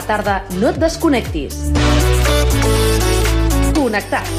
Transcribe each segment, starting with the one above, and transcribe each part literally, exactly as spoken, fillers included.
tarda no et desconnectis. Connectats.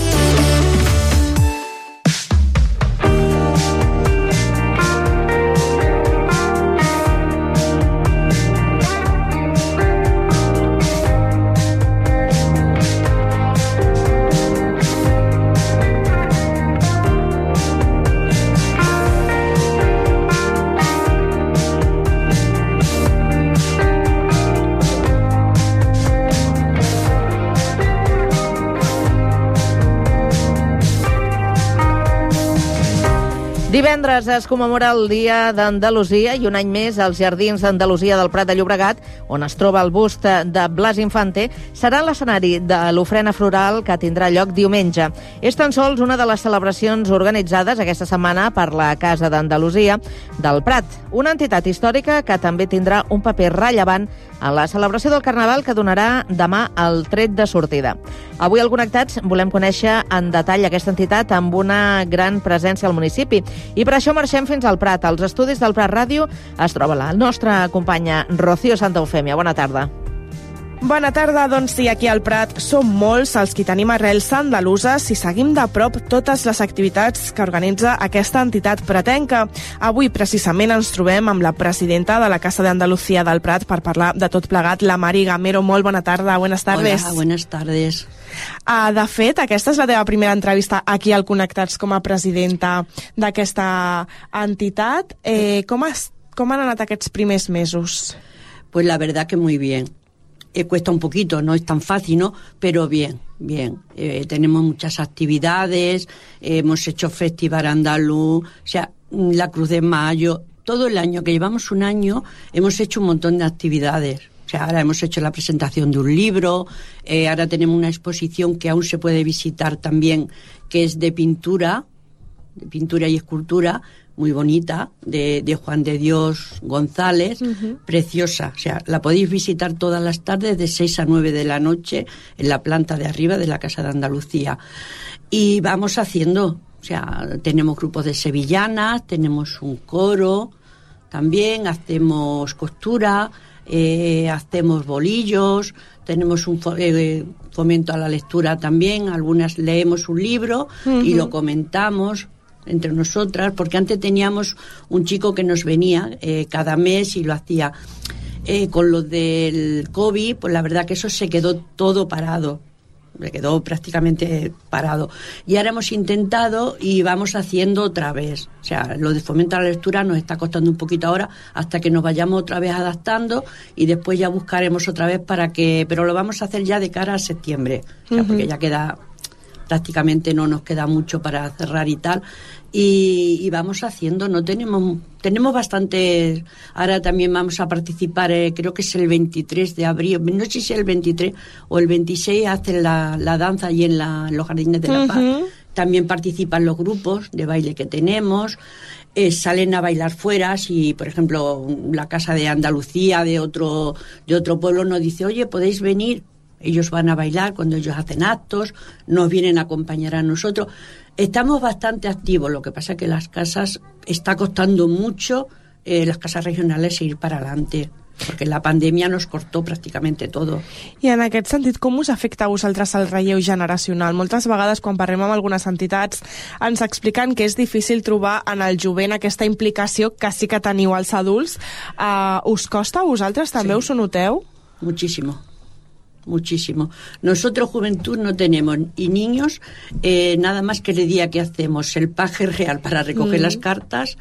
Divendres es commemora el Dia d'Andalusia i un any més els Jardins d'Andalusia del Prat de Llobregat, on es troba el bust de Blas Infante, serà l'escenari de l'ofrena floral que tindrà lloc diumenge. És tan sols una de les celebracions organitzades aquesta setmana per la Casa d'Andalusia del Prat, una entitat històrica que també tindrà un paper rellevant en la celebració del Carnaval que donarà demà el tret de sortida. Avui al Connectats volem conèixer en detall aquesta entitat amb una gran presència al municipi i per això marxem fins al Prat. Als estudis del Prat Ràdio es troba la nostra companya Rocío Santa Eufèmia. Bona tarda. Bona tarda, doncs sí, aquí al Prat som molts els qui tenim arrels andaluses i seguim de prop totes les activitats que organitza aquesta entitat pratenca. Avui precisament ens trobem amb la presidenta de la Casa de Andalucía del Prat per parlar de tot plegat, la Mari Gamero. Molt bona tarda, buenas tardes. Hola, buenas tardes. Uh, de fet, aquesta és la teva primera entrevista aquí al Connectats com a presidenta d'aquesta entitat. Eh, com, has, com han anat aquests primers mesos? Pues la verdad que muy bien. Eh, cuesta un poquito, no es tan fácil, ¿no? Pero bien, bien. Eh, tenemos muchas actividades, eh, hemos hecho Festival Andaluz, o sea, la Cruz de Mayo, todo el año, que llevamos un año, hemos hecho un montón de actividades. O sea, ahora hemos hecho la presentación de un libro, eh, ahora tenemos una exposición que aún se puede visitar también, que es de pintura, de pintura y escultura, muy bonita, de, de Juan de Dios González, uh-huh. Preciosa. O sea, la podéis visitar todas las tardes de seis a nueve de la noche en la planta de arriba de la Casa de Andalucía. Y vamos haciendo, o sea, tenemos grupos de sevillanas, tenemos un coro, también hacemos costura, eh, hacemos bolillos, tenemos un eh, fomento a la lectura también, algunas leemos un libro uh-huh. y lo comentamos entre nosotras, porque antes teníamos un chico que nos venía eh, cada mes y lo hacía. Eh, con lo del COVID, pues la verdad que eso se quedó todo parado, se quedó prácticamente parado. Y ahora hemos intentado y vamos haciendo otra vez. O sea, lo de fomento a la lectura nos está costando un poquito ahora hasta que nos vayamos otra vez adaptando y después ya buscaremos otra vez para que... Pero lo vamos a hacer ya de cara a septiembre, o sea, uh-huh. porque ya queda... prácticamente no nos queda mucho para cerrar y tal, y, y vamos haciendo, no tenemos tenemos bastante, ahora también vamos a participar, eh, creo que es el veintitrés de abril, no sé si es el veintitrés o el veintiséis, hacen la, la danza allí en, la, en los Jardines de la Paz, uh-huh. También participan los grupos de baile que tenemos, eh, salen a bailar fuera, si por ejemplo la Casa de Andalucía de otro, de otro pueblo nos dice, oye, podéis venir. Ellos van a bailar cuando ellos hacen actos, nos vienen a acompañar a nosotros. Estamos bastante activos, lo que pasa es que las casas, está costando mucho, eh, las casas regionales, ir para adelante, perquè la pandèmia nos cortó pràcticament tot. I en aquest sentit, com us afecta a vosaltres el relleu generacional? Moltes vegades, quan parlem amb algunes entitats, ens expliquen que és difícil trobar en el jovent aquesta implicació que sí que teniu els adults. Uh, us costa a vosaltres? També sí. Us ho noteu? Muchísimo. Muchísimo. Nosotros, juventud, no tenemos, y niños, eh, nada más que el día que hacemos el paje real para recoger mm. las cartas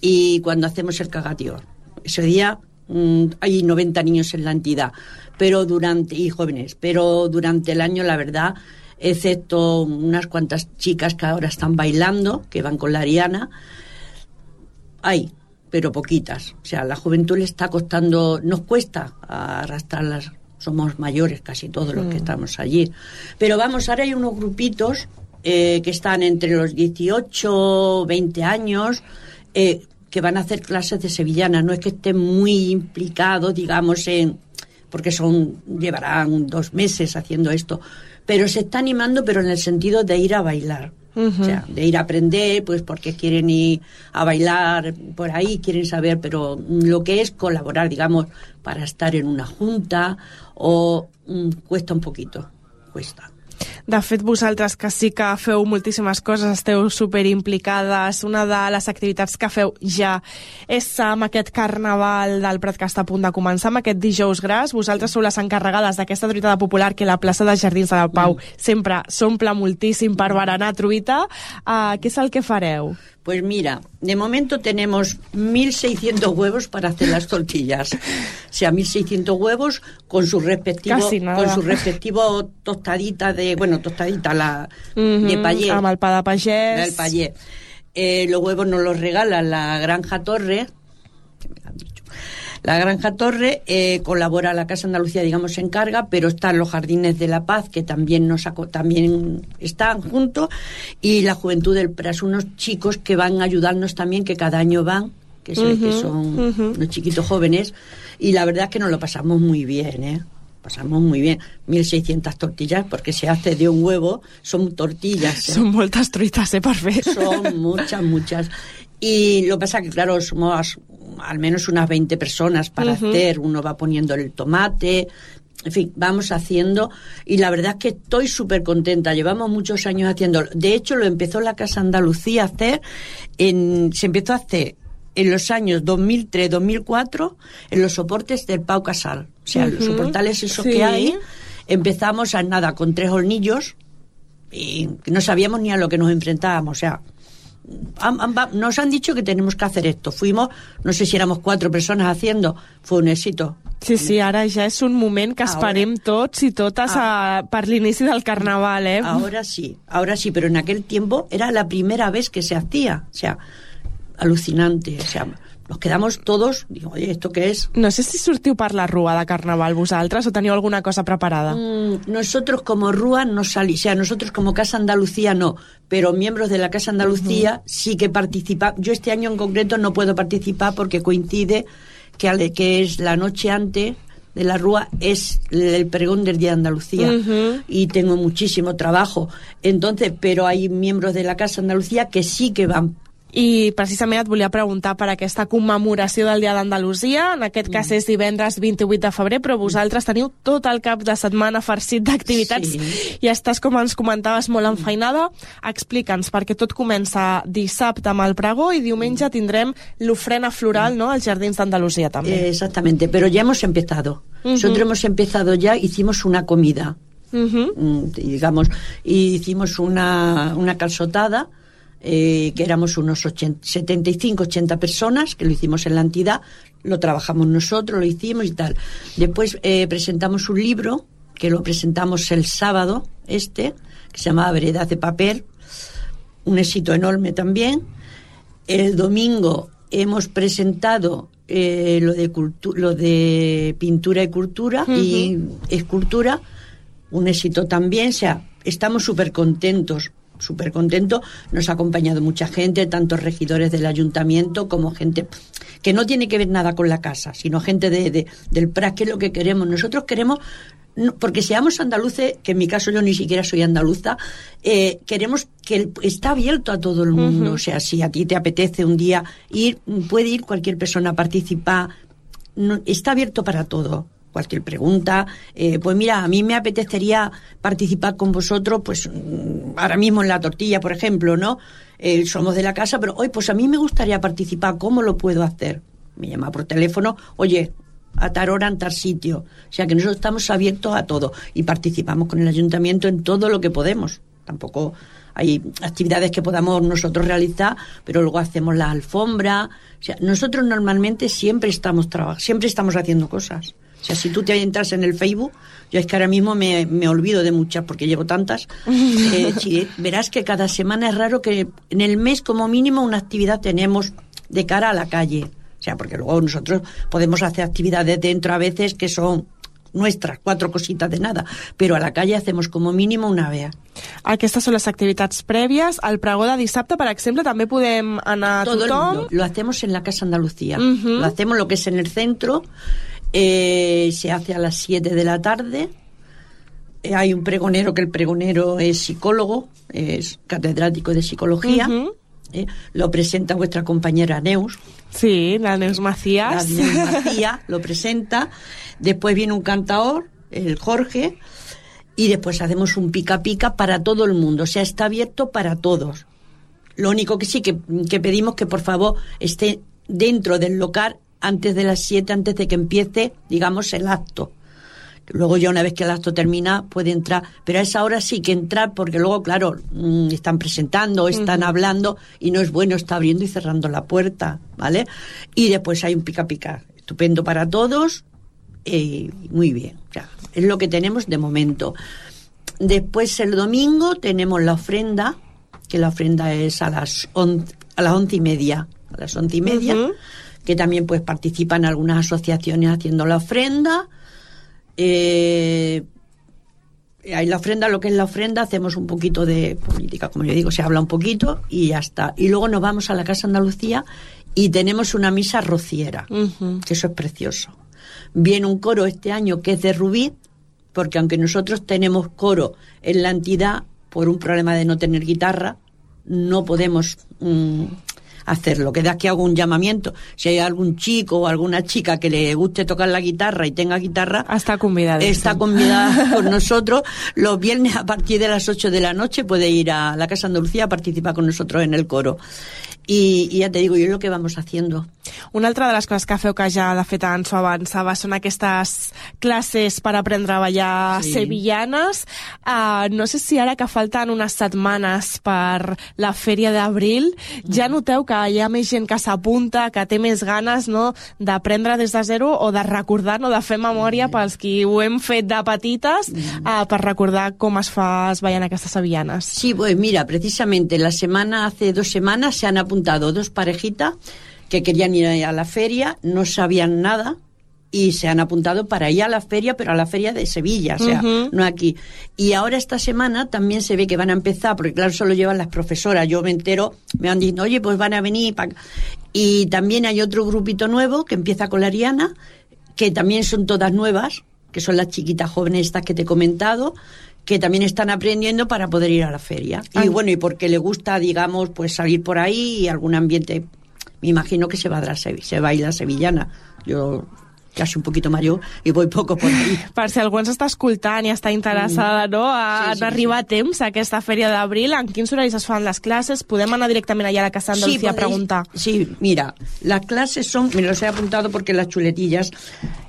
y cuando hacemos el cagatión. Ese día mmm, hay noventa niños en la entidad, pero durante, y jóvenes, pero durante el año, la verdad, excepto unas cuantas chicas que ahora están bailando, que van con la Ariana, hay, pero poquitas. O sea, la juventud le está costando, nos cuesta arrastrarlas. Somos mayores casi todos los que estamos allí. Pero vamos, ahora hay unos grupitos eh, que están entre los dieciocho, veinte años, eh, que van a hacer clases de sevillana. No es que estén muy implicados, digamos, en porque son llevarán dos meses haciendo esto, pero se está animando, pero en el sentido de ir a bailar. Uh-huh. O sea, de ir a aprender, pues porque quieren ir a bailar por ahí, quieren saber, pero lo que es colaborar, digamos, para estar en una junta, o mm, cuesta un poquito, cuesta. De fet, vosaltres que sí que feu moltíssimes coses, esteu superimplicades, una de les activitats que feu ja és amb aquest carnaval del Prat que està a punt de començar, amb aquest dijous gras. Vosaltres sou les encarregades d'aquesta truita popular que la plaça de Jardins de la Pau mm. sempre s'omple moltíssim per berenar truita. Uh, què és el que fareu? Pues mira, de momento tenemos mil seiscientos huevos para hacer las tortillas. O sea, mil seiscientos huevos con su respectivo con su respectivo tostadita de, bueno, tostadita la mm-hmm, de payé. Amb el pa de pagès. El payé. Eh, los huevos nos los regala la Granja Torre, que me han dicho. La Granja Torre eh, colabora, la Casa Andalucía, digamos, se encarga, pero están los Jardines de la Paz, que también nos también están juntos, y la Juventud del Prat, unos chicos que van a ayudarnos también, que cada año van, que, se, uh-huh, que son uh-huh. unos chiquitos jóvenes, y la verdad es que nos lo pasamos muy bien, ¿eh? Pasamos muy bien. mil seiscientas tortillas, porque se hace de un huevo, son tortillas. ¿eh? Son moltes truites, eh, per fer. Son muchas, muchas. Y lo que pasa que, claro, somos al menos unas veinte personas para uh-huh. hacer. Uno va poniendo el tomate, en fin, vamos haciendo. Y la verdad es que estoy súper contenta. Llevamos muchos años haciéndolo. De hecho, lo empezó la Casa Andalucía a hacer, en, se empezó a hacer en los años dos mil tres dos mil cuatro en los soportes del Pau Casal. O sea, uh-huh. los soportales esos sí. que hay. Empezamos a nada con tres hornillos y no sabíamos ni a lo que nos enfrentábamos. O sea, nos han dicho que tenemos que hacer esto. Fuimos, no sé si éramos cuatro personas haciendo, fue un éxito. Sí, sí, ara ja és un moment que esperem tots i totes a, per l'inici del carnaval, eh? Ahora sí, ahora sí, pero en aquel tiempo era la primera vez que se hacía. O sea, alucinante, o sea, nos quedamos todos, digo, oye, ¿esto qué es? No sé si sortiu per la rua de carnaval vosaltres o teniu alguna cosa preparada. Mm, nosotros como rua no salimos, o sea, nosotros como Casa Andalucía no, pero miembros de la Casa Andalucía uh-huh. sí que participan. Yo este año en concreto no puedo participar porque coincide que, ale, que es la noche antes de la rúa, es el pregón del Día de Andalucía uh-huh. y tengo muchísimo trabajo. Entonces, pero hay miembros de la Casa Andalucía que sí que van. I precisament et volia preguntar per aquesta commemoració del Dia d'Andalusia. En aquest cas és divendres vint-i-vuit de febrer, però vosaltres teniu tot el cap de setmana farcit d'activitats sí. i estàs, com ens comentaves, molt enfeinada. Explica'ns, perquè tot comença dissabte amb el pregó i diumenge tindrem l'ofrena floral, ¿no?, als Jardins d'Andalusia també. Eh, exactamente, pero ya hemos empezado. Uh-huh. Nosotros hemos empezado ya, hicimos una comida, uh-huh. digamos, y hicimos una, una calçotada. Eh, que éramos unos ochenta, setenta y cinco, ochenta personas, que lo hicimos en la entidad, lo trabajamos nosotros, lo hicimos y tal. Después eh, presentamos un libro, que lo presentamos el sábado, este, que se llamaba Veredas de Papel, un éxito enorme también. El domingo hemos presentado eh, lo, de cultu- lo de pintura y cultura, uh-huh. y escultura, un éxito también. O sea, estamos súper contentos. súper contento, nos ha acompañado mucha gente, tanto regidores del ayuntamiento como gente que no tiene que ver nada con la casa, sino gente de, de, del Prat, que es lo que queremos. Nosotros queremos, no, porque seamos andaluces, que en mi caso yo ni siquiera soy andaluza, eh, queremos que el, está abierto a todo el mundo. Uh-huh. O sea, si a ti te apetece un día ir, puede ir cualquier persona a participar, no, está abierto para todo. Cualquier pregunta, eh, pues mira, a mí me apetecería participar con vosotros, pues ahora mismo en la tortilla, por ejemplo, ¿no? Eh, somos de la casa, pero hoy, pues a mí me gustaría participar, ¿cómo lo puedo hacer? Me llama por teléfono, oye, a tal hora en tal sitio. O sea que nosotros estamos abiertos a todo y participamos con el ayuntamiento en todo lo que podemos. Tampoco hay actividades que podamos nosotros realizar, pero luego hacemos la alfombra. O sea, nosotros normalmente siempre estamos trabajando, siempre estamos haciendo cosas. O sea, si tú te entras en el Facebook, yo es que ahora mismo me, me olvido de muchas porque llevo tantas, eh, sí, verás que cada semana es raro que en el mes como mínimo una actividad tenemos de cara a la calle. O sea, porque luego nosotros podemos hacer actividades dentro a veces que son nuestras, cuatro cositas de nada, però a la calle hacemos como mínimo una vez. Aquestes són les activitats prèvies. Al pregó de dissabte, per exemple, també podem anar Todo tothom? Lo, lo hacemos en la Casa Andalucía. Uh-huh. Lo hacemos lo que es en el centro. Eh, se hace a las siete de la tarde. hay un pregonero, que el pregonero es psicólogo, es catedrático de psicología. Uh-huh. eh, lo presenta vuestra compañera Neus. Sí, la Neus Macías. La Neus Macías lo presenta. Después viene un cantador, el Jorge, y después hacemos un pica pica para todo el mundo. O sea, está abierto para todos. Lo único que sí que, que pedimos que por favor esté dentro del local antes de las siete, antes de que empiece, digamos, el acto. Luego ya una vez que el acto termina puede entrar, pero a esa hora sí que entrar, porque luego, claro, mmm, están presentando, están uh-huh. hablando, y no es bueno estar abriendo y cerrando la puerta, ¿vale? Y después hay un pica pica estupendo para todos, eh, muy bien, o sea, es lo que tenemos de momento. Después el domingo tenemos la ofrenda, que la ofrenda es a las on, a las once y media, a las once y media, uh-huh. que también pues participan algunas asociaciones haciendo la ofrenda. Eh, hay la ofrenda, lo que es la ofrenda, hacemos un poquito de política, como yo digo, se habla un poquito y ya está. Y luego nos vamos a la Casa Andalucía y tenemos una misa rociera, uh-huh. que eso es precioso. Viene un coro este año que es de Rubí, porque aunque nosotros tenemos coro en la entidad, por un problema de no tener guitarra, no podemos mmm, hacerlo. Que de aquí hago un llamamiento. Si hay algún chico o alguna chica que le guste tocar la guitarra y tenga guitarra, está convidada. Está convidada con nosotros. Los viernes a partir de las ocho de la noche puede ir a la Casa Andalucía a participar con nosotros en el coro. I, i ja te digo, jo és el que vamos haciendo. Una altra de les coses que feu, que ja de fet ens ho avançava, són aquestes classes per aprendre a ballar sí. sevillanes. Uh, no sé si ara que falten unes setmanes per la Fèria d'Abril, ja noteu que hi ha més gent que s'apunta, que té més ganes, no?, d'aprendre des de zero o de recordar, no?, de fer memòria pels qui ho hem fet de petites, uh, per recordar com es fa es ballant aquestes sevillanes. Sí, pues mira, precisamente la semana, hace dos semanas se han apuntado dos parejitas que querían ir a la feria, no sabían nada y se han apuntado para ir a la feria, pero a la feria de Sevilla, o sea, uh-huh. no aquí. Y ahora esta semana también se ve que van a empezar, porque claro, solo llevan las profesoras, yo me entero, me han dicho, oye, pues van a venir. Pa... Y también hay otro grupito nuevo que empieza con la Ariana, que también son todas nuevas, que son las chiquitas jóvenes estas que te he comentado, que también están aprendiendo para poder ir a la feria. Y bueno, y porque le gusta, digamos, pues salir por ahí y algún ambiente, me imagino que se va a dar, se baila sevillana. Yo casi un poquito mayor i voy poco por ahí. Per si algú ens està escoltant i està interessada, no?, a sí, sí, arribar sí. a temps a aquesta Fèria d'Abril, en quins horaris es fan les classes? Podem anar directament allà a la Casa Andalucía sí, a preguntar. Sí, mira, las clases son, me los he apuntado porque las chuletillas,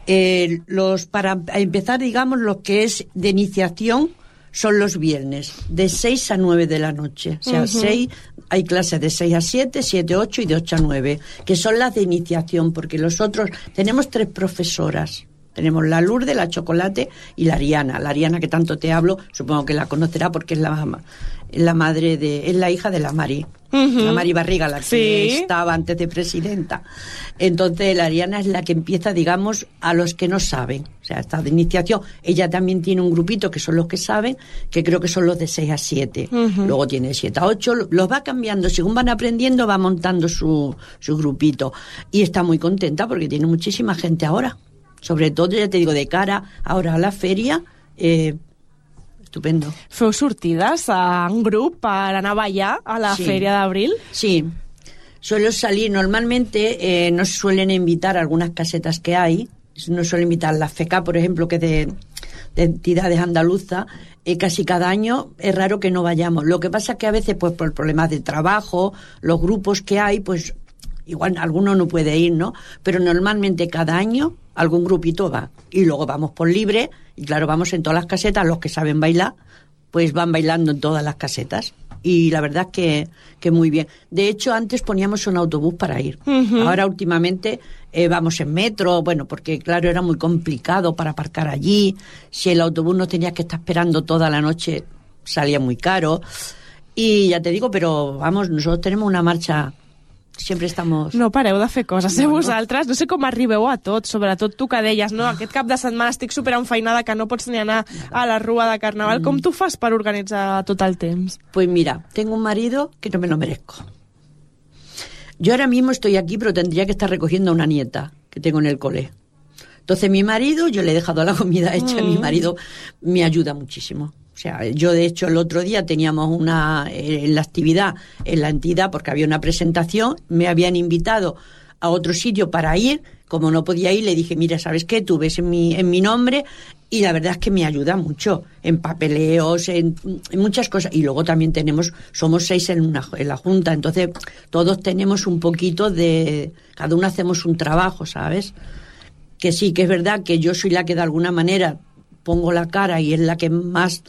eh, los para empezar, digamos, lo que es de iniciación, son los viernes, de seis a nueve de la noche. O sea, uh-huh. seis, hay clases de seis a siete, siete a ocho y de ocho a nueve, que son las de iniciación, porque los otros, tenemos tres profesoras. Tenemos la Lourdes, la Chocolate y la Ariana. La Ariana que tanto te hablo, supongo que la conocerá porque es la, la madre de, es la hija de la Mari. Uh-huh. La Mari Barriga, la que sí. estaba antes de presidenta. Entonces la Ariana es la que empieza, digamos, a los que no saben. O sea, está de iniciación. Ella también tiene un grupito que son los que saben, que creo que son los de seis a siete. Uh-huh. Luego tiene siete a ocho. Los va cambiando. Según van aprendiendo, va montando su, su grupito. Y está muy contenta porque tiene muchísima gente ahora. Sobre todo, ja te digo, de cara ahora a la feria, eh, estupendo. Feu sortides en grup per anar a ballar a la sí. Fèria d'Abril? Sí, suelo salir, normalmente eh, nos suelen invitar a algunas casetas que hay, nos suelen invitar la F E C A, por ejemplo, que es de, de entidades andaluzas, eh, casi cada año es raro que no vayamos. Lo que pasa es que a veces, pues por problemas de trabajo, los grupos que hay, pues igual alguno no puede ir, ¿no? Pero normalmente cada año algún grupito va. Y luego vamos por libre, y claro, vamos en todas las casetas, los que saben bailar, pues van bailando en todas las casetas. Y la verdad es que, que muy bien. De hecho, antes poníamos un autobús para ir. Uh-huh. Ahora, últimamente, eh, vamos en metro, bueno, porque claro, era muy complicado para aparcar allí. Si el autobús no tenías que estar esperando toda la noche, salía muy caro. Y ya te digo, pero vamos, nosotros tenemos una marcha... Sempre estamos... No pareu de fer coses, no, eh, vosaltres? No. no sé com arribeu a tot, sobretot tu que deies, no? Aquest cap de setmana estic super enfeinada que no pots ni anar a la rua de Carnaval. Mm. Com tu fas per organitzar tot el temps? Pues mira, tengo un marido que no me lo merezco. Yo ahora mismo estoy aquí, pero tendría que estar recogiendo a una nieta que tengo en el cole. Entonces mi marido, yo le he dejado la comida hecha, mm. mi marido me ayuda muchísimo. O sea, yo de hecho el otro día teníamos una en la actividad, en la entidad, porque había una presentación, me habían invitado a otro sitio para ir, como no podía ir, le dije, mira, ¿sabes qué? Tú ves en mi, en mi nombre, y la verdad es que me ayuda mucho, en papeleos, en, en muchas cosas. Y luego también tenemos, somos seis en, una, en la Junta, entonces todos tenemos un poquito de, cada uno hacemos un trabajo, ¿sabes? Que sí, que es verdad que yo soy la que de alguna manera pongo la cara y es la que más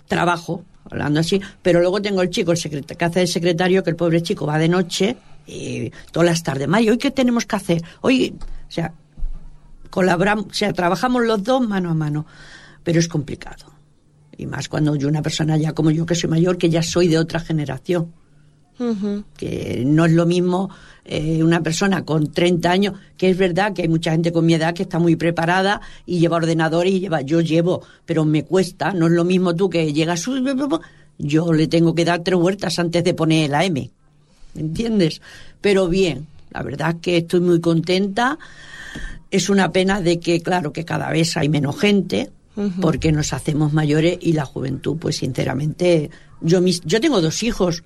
trabajo, hablando así, pero luego tengo el chico el secret- que hace el secretario, que el pobre chico va de noche y todas las tardes, Mario, ¿hoy qué tenemos que hacer? Hoy, o sea, colaboramos, o sea, trabajamos los dos mano a mano, pero es complicado, y más cuando yo, una persona ya como yo, que soy mayor, que ya soy de otra generación. Uh-huh. Que no es lo mismo eh, una persona con treinta años, que es verdad que hay mucha gente con mi edad que está muy preparada y lleva ordenador y lleva, yo llevo, pero me cuesta, no es lo mismo tú que llegas, yo le tengo que dar tres vueltas antes de poner la M, ¿entiendes? Pero bien, la verdad es que estoy muy contenta. Es una pena de que, claro, que cada vez hay menos gente, uh-huh. porque nos hacemos mayores y la juventud, pues sinceramente, yo mis, yo tengo dos hijos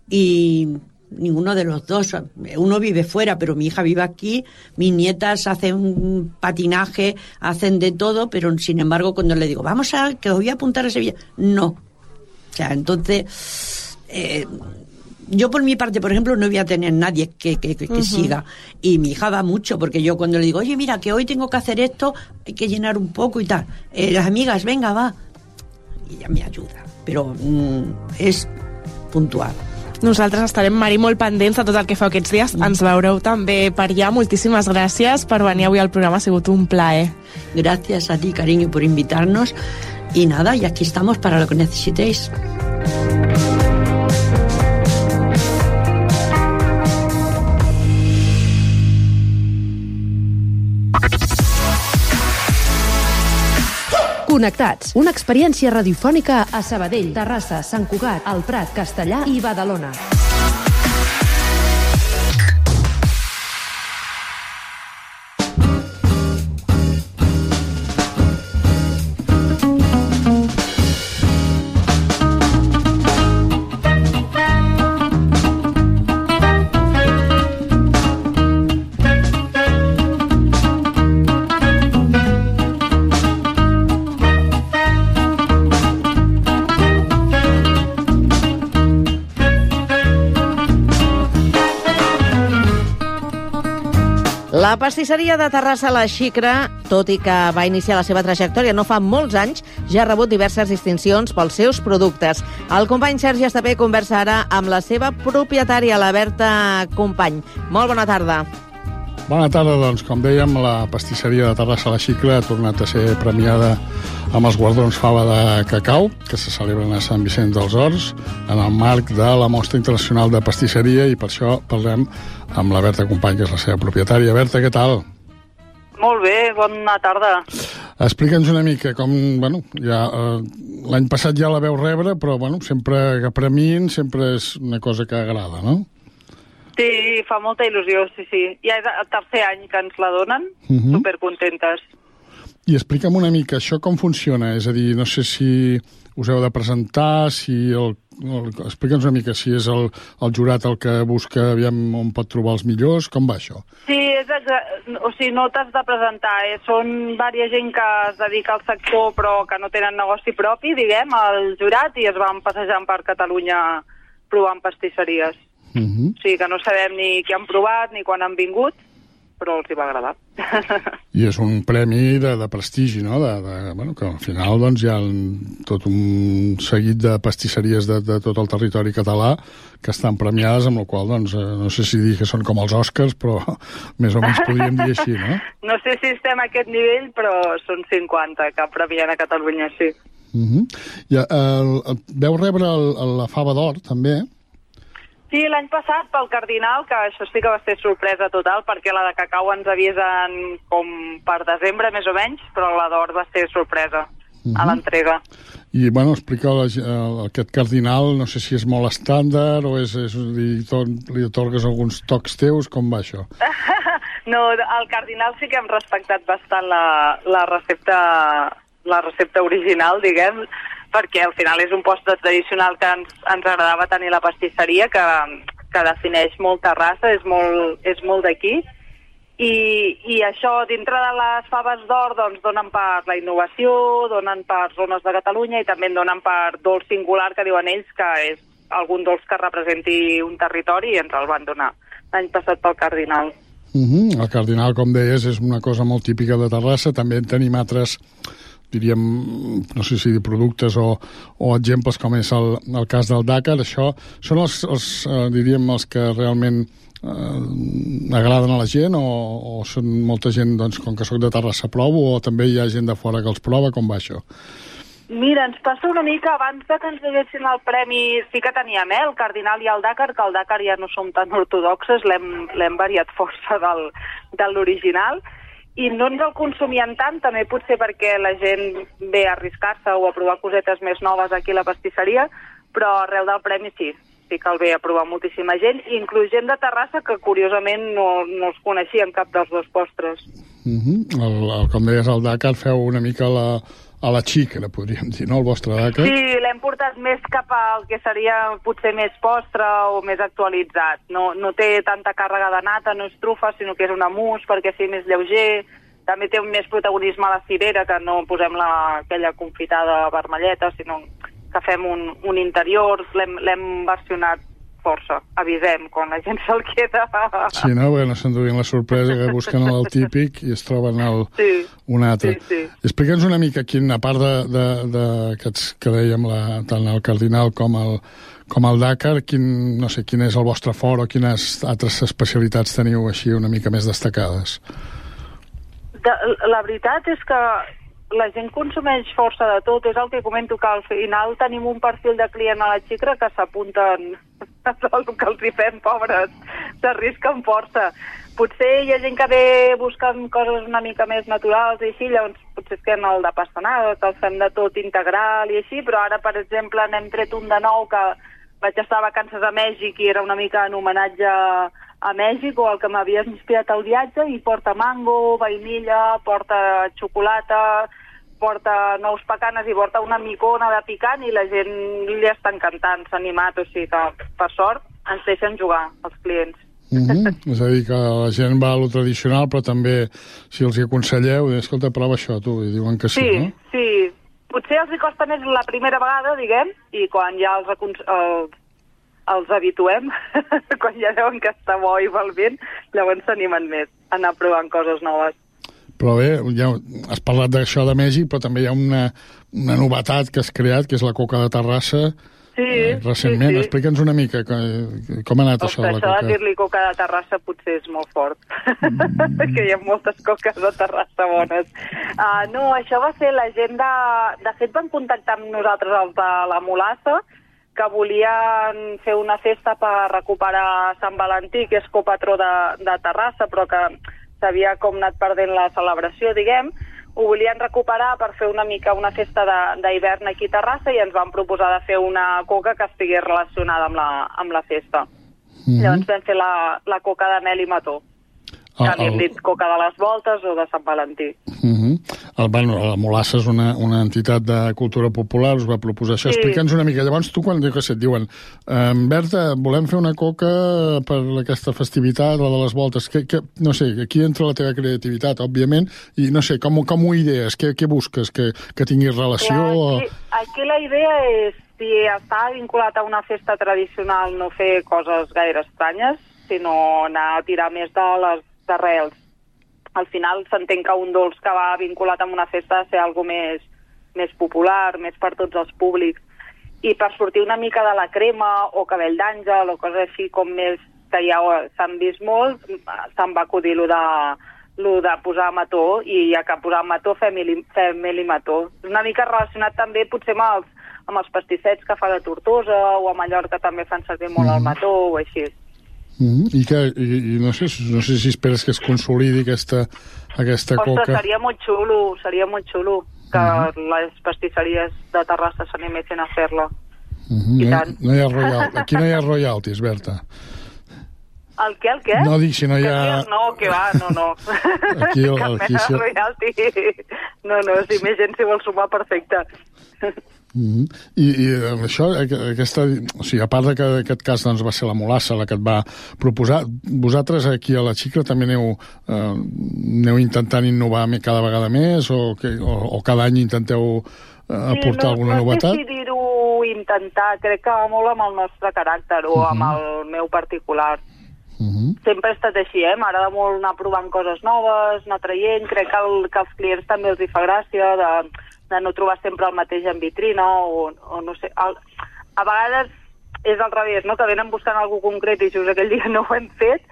y ninguno de los dos, uno vive fuera, pero mi hija vive aquí, mis nietas hacen patinaje, hacen de todo, pero sin embargo cuando le digo, vamos a, que os voy a apuntar a Sevilla, no. O sea, entonces, eh, yo por mi parte, por ejemplo, no voy a tener nadie que, que, que, que uh-huh. siga, y mi hija va mucho, porque yo cuando le digo, oye, mira, que hoy tengo que hacer esto, hay que llenar un poco y tal, eh, las amigas, venga, va, y ella me ayuda, pero mm, és puntual. Nosaltres estarem, Mari, molt pendents de tot el que feu aquests dies. Mm. Ens veureu també per allà. Moltíssimes gràcies per venir avui al programa. Ha sigut un plaer. Gracias a ti, cariño, por invitarnos. Y nada, y aquí estamos para lo que necesitéis. Connectats, una experiència radiofònica a Sabadell, Terrassa, Sant Cugat, El Prat, Castellar i Badalona. La pastisseria de Terrassa La Xicra, tot i que va iniciar la seva trajectòria no fa molts anys, ja ha rebut diverses distincions pels seus productes. El company Sergi Estapé conversa ara amb la seva propietària, la Berta Company. Molt bona tarda. Bona tarda, doncs, com dèiem, la pastisseria de Terrassa La Xicra ha tornat a ser premiada amb els guardons Fava de Cacau, que se celebren a Sant Vicenç dels Horts, en el marc de la Mostra Internacional de Pastisseria, i per això parlem amb la Berta Company, que és la seva propietària. Berta, què tal? Molt bé, bona tarda. Explica'ns una mica com, bueno, ja, eh, l'any passat ja la veu rebre, però, bueno, sempre que premin sempre és una cosa que agrada, no? Sí, fa molta il·lusió, sí, sí. Ja és el tercer any que ens la donen, uh-huh. supercontentes. I explica'm una mica, això com funciona? És a dir, no sé si us heu de presentar, si el, el, explica'ns una mica si és el, el jurat el que busca, aviam on pot trobar els millors, com va això? Sí, és exa- o sigui, no t'has de presentar, eh? Són vària gent que es dedica al sector però que no tenen negoci propi, diguem, al jurat, i es van passejant per Catalunya provant pastisseries. Uh-huh. O sigui que no sabem ni què han provat ni quan han vingut, però els hi va agradar. I és un premi de, de prestigi, no? De, de, bueno, que al final doncs, hi ha tot un seguit de pastisseries de, de tot el territori català que estan premiades, amb la qual doncs, no sé si dir que són com els Oscars, però més o menys podríem dir així, no? No sé si estem a aquest nivell, però són cinquanta que premien a Catalunya, sí. Uh-huh. I el, el, veu rebre el, el, la Fava d'Or, també? Sí, l'any passat pel Cardinal, que això sí que va ser sorpresa total, perquè la de Cacau ens avisen com per desembre, més o menys, però la d'Or va ser sorpresa uh-huh. a l'entrega. I, bueno, explica la, aquest Cardinal, no sé si és molt estàndard o és, és li, li atorgues alguns tocs teus, com va això? No, al Cardinal sí que hem respectat bastant la, la recepta la recepta original, diguem, perquè al final és un postre tradicional que ens, ens agradava tenir la pastisseria, que, que defineix molt Terrassa, és molt, és molt d'aquí. I, I això, dintre de les faves d'or, doncs donen per la innovació, donen per zones de Catalunya i també en donen per dolç singular, que diuen ells que és algun dolç que representi un territori, i ens el van donar l'any passat pel Cardinal. Uh-huh. El Cardinal, com deies, és una cosa molt típica de Terrassa. També en tenim altres, diríem, no sé si productes o, o exemples, com és el, el cas del Dakar. Això són els, els eh, diríem, els que realment eh, agraden a la gent, o, o són molta gent, doncs, com que soc de Terrassa provo, o també hi ha gent de fora que els prova? Com va això? Mira, ens passa una mica, abans de que ens donessin el premi, sí que teníem, eh, el Cardinal i el Dakar, que el Dakar ja no som tan ortodoxes, l'hem variat força del, de l'original, i no ens el consumien tant, també potser perquè la gent ve a arriscar-se o a provar cosetes més noves aquí a la pastisseria, però arreu del premi sí, sí que el ve a provar moltíssima gent, inclús gent de Terrassa que curiosament no, no els coneixien cap dels dos postres. Uh-huh. el, el, com deies, el Dakar feu una mica la, a la xícara, podríem dir, no?, el vostre Dakar. Sí, l'hem portat més cap al que seria potser més postre o més actualitzat. No, no té tanta càrrega de nata, no és trufa, sinó que és una mousse perquè sigui més lleuger. També té un més protagonisme a la cirera, que no posem la, aquella confitada vermelleta, sinó que fem un, un interior. L'hem versionat força, avisem, quan la gent se'l queda. Sí, no? Perquè no s'enduguin la sorpresa, que busquen el típic i es troben el, sí, un altre. Sí, sí. Explica'ns una mica, quin, a part de, de, de aquests que dèiem, la, tant el Cardinal com el, com el Dakar, quin, no sé, quin és el vostre fort o quines altres especialitats teniu així una mica més destacades? De, la veritat és que la gent consumeix força de tot. És el que comento, que al final tenim un perfil de client a la xicra que s'apunten el que els hi fem, pobres, s'arrisquen força. Potser hi ha gent que ve buscant coses una mica més naturals i així, llavors potser es queden el de pastanaga, que el fem de tot integral i així, però ara, per exemple, n'hem tret un de nou que vaig estar a vacances a Mèxic i era una mica en homenatge a Mèxic, o el que m'havia inspirat al viatge, i porta mango, vainilla, porta xocolata, porta nous pecanes i porta una micona de picant, i la gent li està encantant, s'ha animat, o sigui que, per sort, ens deixen jugar els clients. Mm-hmm. És a dir, que la gent va a lo tradicional, però també, si els hi aconselleu, escolta, prova això, tu, i diuen que sí, sí no? Sí, potser els hi costa més la primera vegada, diguem, i quan ja els, els, els habituem, quan ja veuen que està bo i val bé, llavors s'animen més a anar provant coses noves. Però bé, ja has parlat d'això de Mèxic, però també hi ha una, una novetat que has creat, que és la coca de Terrassa, sí, eh, recentment. Sí, sí. Explica'ns una mica que, com ha anat Ostres, això de la coca. Això de dir-li coca de Terrassa potser és molt fort, mm. que hi ha moltes coques de Terrassa bones. Uh, no, això va ser la gent de... De fet, van contactar amb nosaltres els de la Mulassa, que volien fer una festa per recuperar Sant Valentí, que és copatró de, de Terrassa, però que s'havia com anat perdent la celebració, diguem. Ho volien recuperar per fer una mica una festa d'hivern aquí a Terrassa, i ens van proposar de fer una coca que estigués relacionada amb la, amb la festa. Mm-hmm. Llavors vam fer la, la coca de mel i mató. Que ah, havíem el... dit coca de les voltes o de Sant Valentí. Mm-hmm. el, bueno, la Mulassa és una, una entitat de cultura popular, us va proposar això. Sí. Explica'ns una mica. Llavors tu, quan dius que et diuen eh, Berta, volem fer una coca per aquesta festivitat, la de les voltes, que, que, no sé, aquí entra la teva creativitat, òbviament, i no sé, com, com ho idees? Què, què busques? Que, que tinguis relació? Clar, aquí, o... aquí la idea és, si està vinculat a una festa tradicional, no fer coses gaire estranyes, sinó anar a tirar més de les d'arrels. Al final s'entén que un dolç que va vinculat amb una festa ha de ser algo més, més popular, més per tots els públics. I per sortir una mica de la crema o cabell d'àngel o coses així com més que ja s'han vist molt, se'n va acudir lo de, lo de posar mató, i ja que posar mató fem mel i mató. És una mica relacionat també potser amb els, amb els pastissets que fa de Tortosa, o a Mallorca també fan servir molt mm. el mató o així. Mm-hmm. I, que, i, i no, sé, no sé si esperes que es consolidi aquesta, aquesta Ostres, coca. Seria molt xulo, seria molt xulo que mm-hmm. les pastisseries de Terrassa s'animessin a fer-la. Mm-hmm. I no, tant. No hi ha royal... Aquí no hi ha royalties, Berta. El què, el què? No, dic, si no hi ha... No, que va, no, no. Aquí, el, Cap aquí mena si... de royalty. No, no, si més gent s'hi vol sumar, perfecte. Mm-hmm. I, i això, aquesta, o sigui, a part de que aquest cas doncs, va ser la Molassa la que et va proposar, vosaltres aquí a la Xicra també aneu, eh, aneu intentant innovar cada vegada més o, que, o, o cada any intenteu eh, aportar sí, no, alguna no novetat? No sé si dir-ho intentar, crec que va molt amb el nostre caràcter o uh-huh. amb el meu particular. Uh-huh. Sempre ha estat així, eh? M'agrada molt anar provant coses noves, anar traient, crec que, el, que als clients també els hi fa gràcia de, de no trobar sempre el mateix en vitrina o, o no sé... El, a vegades és al revés, no? Que venen buscant alguna concret i just aquell dia no ho hem fet,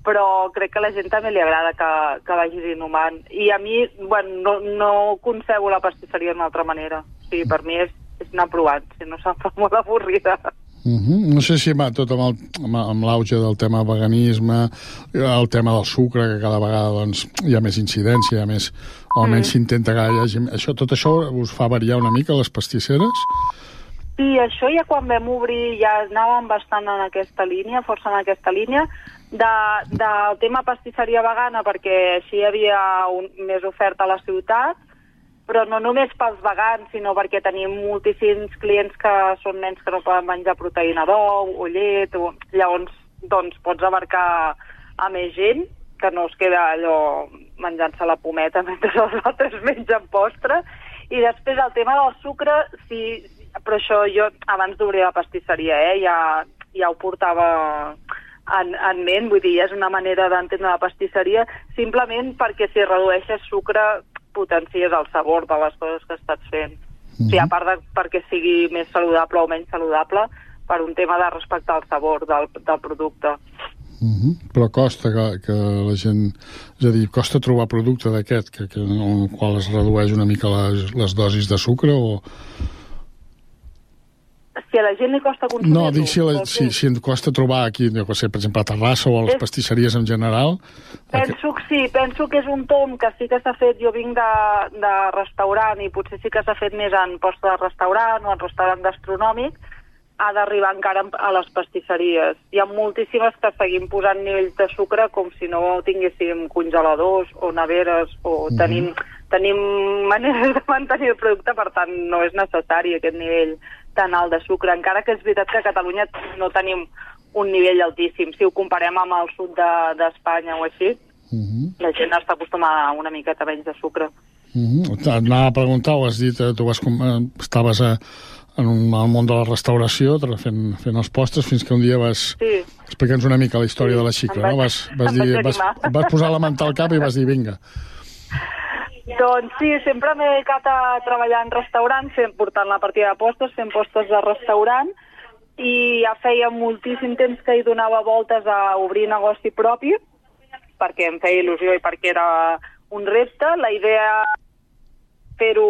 però crec que a la gent també li agrada que, que vagis innovant. I a mi, bueno, no, no concebo la pastisseria d'una altra manera. O sigui, per mi és, és anar provant, si no se'm fa molt avorrida. Uh-huh. No sé si va tot amb, el, amb l'auge del tema veganisme, el tema del sucre, que cada vegada doncs, hi ha més incidència, hi ha més, o almenys mm. s'intenta que hi hagi... Això, tot això us fa variar una mica les pastisseres? Sí, això ja quan vam obrir ja anàvem bastant en aquesta línia, força en aquesta línia, de, del tema pastisseria vegana, perquè així hi havia un, més oferta a la ciutat, però no només pels vegans, sinó perquè tenim moltíssims clients que són nens que no poden menjar proteïna d'ou o llet, o... llavors doncs, pots abarcar a més gent, que no es queda allò menjant-se la pometa mentre els altres mengen postre. I després el tema del sucre, sí, però això jo abans d'obrir la pastisseria, eh, ja, ja ho portava en, en ment, vull dir, és una manera d'entendre la pastisseria, simplement perquè si redueixes sucre potencies el sabor de les coses que estàs fent. Mm-hmm. O sigui, a part de perquè sigui més saludable o menys saludable, per un tema de respectar el sabor del, del producte. Mm-hmm. Però costa que, que la gent... És a dir, costa trobar producte d'aquest, que, que, en el qual es redueix una mica les, les dosis de sucre o... Si a la gent li costa consumir-ho... No, dic si, la, si, si em costa trobar aquí, no sé, per exemple, a Terrassa o a les és... pastisseries en general... Penso que sí, penso que és un tom que sí que s'ha fet, jo vinc de, de restaurant i potser sí que s'ha fet més en posta de restaurant o en restaurant gastronòmic, ha d'arribar encara a les pastisseries. Hi ha moltíssimes que seguim posant nivells de sucre com si no tinguéssim congeladors o neveres o mm-hmm. tenim, tenim maneres de mantenir el producte, per tant no és necessari aquest nivell tan alt de sucre, encara que és veritat que a Catalunya no tenim un nivell altíssim. Si ho comparem amb el sud d'Espanya de, o així, uh-huh. la gent està acostumada a una miqueta menys de sucre. Uh-huh. Anava a preguntar, ho has dit, tu vas, estaves a, en un, al món de la restauració fent, fent els postres fins que un dia vas... Sí. Explica'ns una mica la història sí. de la Xicra, no? Vas, vas, dir, vas, vas posar la manta al cap i vas dir, vinga. Doncs sí, sempre m'he dedicat a treballar en restaurants, fent, portant la partida de postres, fent postres de restaurant, i ja feia moltíssim temps que hi donava voltes a obrir negoci propi, perquè em feia il·lusió i perquè era un repte. La idea fer-ho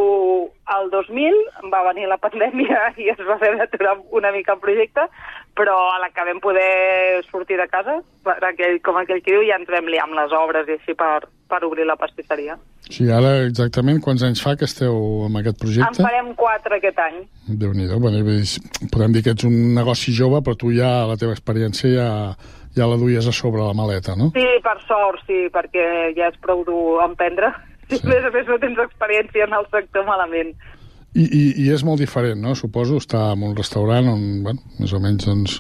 al dos mil, va venir la pandèmia i es va fer d'aturar una mica el projecte, però a la que vam poder sortir de casa, per aquell, com aquell que diu, ja ens vam liar amb les obres i així per, per obrir la pastisseria. Sí, ara exactament quants anys fa que esteu amb aquest projecte? En farem quatre aquest any. Déu-n'hi-do, bueno, podem dir que ets un negoci jove, però tu ja, la teva experiència ja, ja la duies a sobre la maleta, no? Sí, per sort, sí, perquè ja és prou dur emprendre. Sí. A més a més no tens experiència en el sector malament. I, i, i és molt diferent, no? Suposo estar en un restaurant on, bueno, més o menys doncs,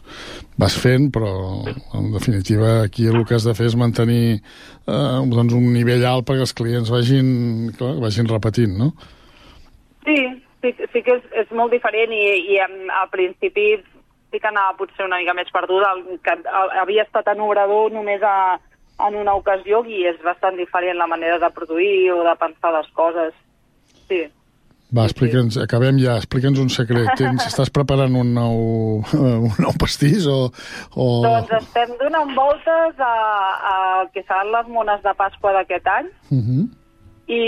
vas fent, però en definitiva aquí el que has de fer és mantenir eh, doncs, un nivell alt perquè els clients vagin, clar, vagin repetint, no? Sí, sí, sí que és, és molt diferent i, i al principi sí que anava potser una mica més perduda, que havia estat en obrador només a en una ocasió i és bastant diferent la manera de produir o de pensar les coses. Sí. Va, explica'ns, acabem ja, explica'ns un secret. Tens, estàs preparant un nou, un nou pastís o, o... Doncs estem donant voltes a, a que seran les mones de Pasqua d'aquest any. Uh-huh. I,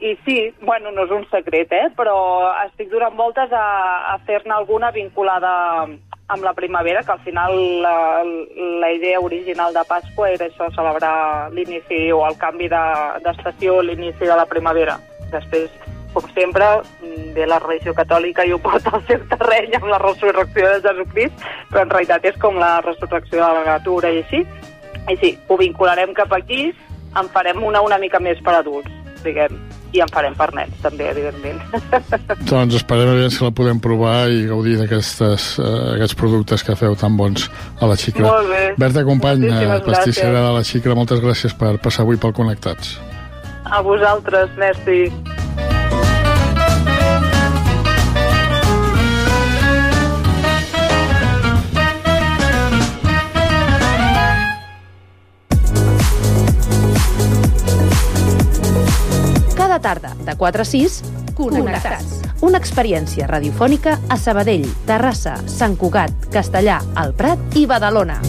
i sí, bueno, no és un secret, eh? Però estic donant voltes a, a fer-ne alguna vinculada amb la primavera, que al final la, la idea original de Pasqua era això, celebrar l'inici o el canvi d'estació, de, l'inici de la primavera. Després, com sempre, ve la religió catòlica i ho porta al seu terreny amb la resurrecció de Jesucrist, però en realitat és com la resurrecció de la natura i així. I sí, ho vincularem cap aquí, en farem una una mica més per adults, diguem, i en farem per nens, també, evidentment. Doncs esperem a veure si la podem provar i gaudir d'aquests uh, aquests productes que feu tan bons a la Xicra. Molt bé. Berta Company, pastissera gràcies. de la Xicra, moltes gràcies per passar avui pel Connectats. A vosaltres, merci. Cada tarda, de quatre a sis, Connectats. Una experiència radiofònica a Sabadell, Terrassa, Sant Cugat, Castellà, El Prat i Badalona.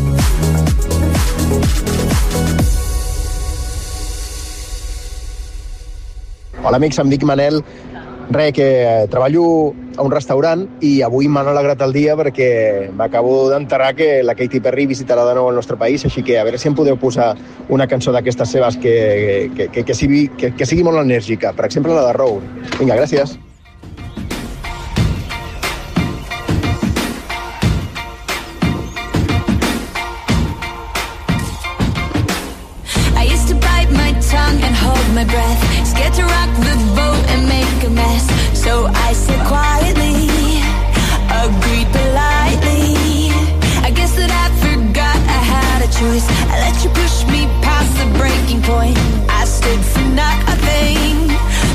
Hola amics, em dic Manel. Re, que treballo a un restaurant i avui m'han alegrat el dia perquè m'acabo d'enterrar que la Katy Perry visitarà de nou el nostre país, així que a veure si em podeu posar una cançó d'aquestes seves que, que, que, que, sigui, que, que sigui molt enèrgica. Per exemple, la de Road. Vinga, gràcies. I used to bite my tongue and hold my breath, scared to rock the boat and make a mess. So I said quietly, agreed politely. I guess that I forgot I had a choice. I let you push me past the breaking point. I stood for nothing,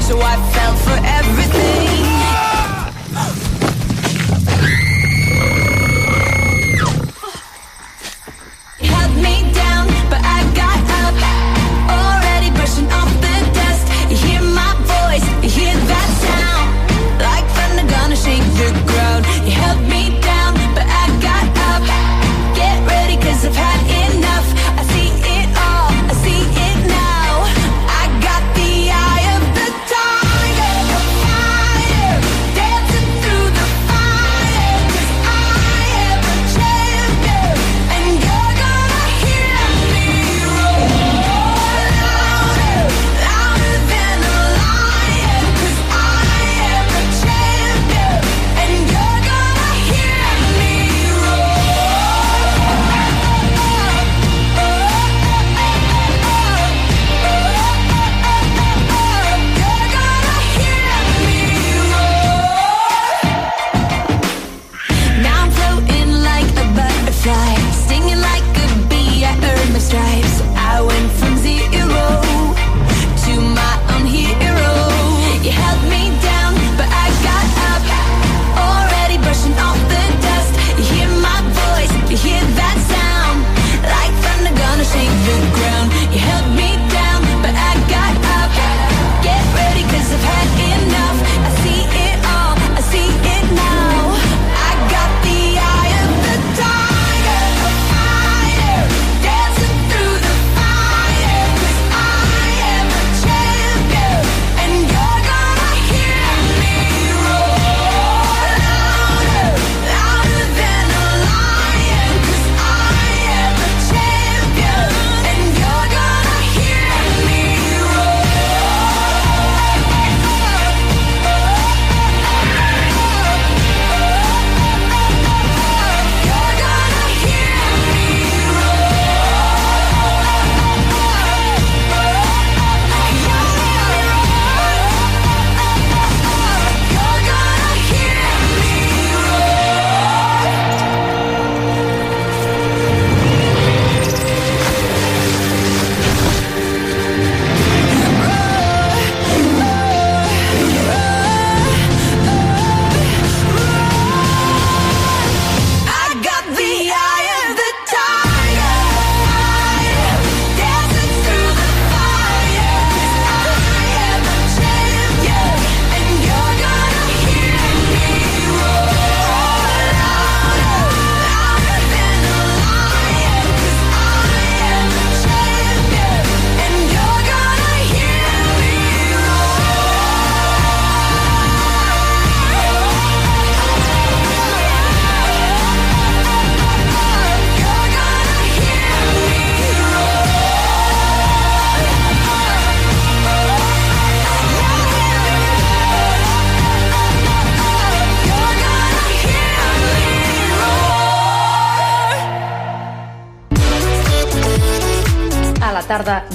so I fell for everything.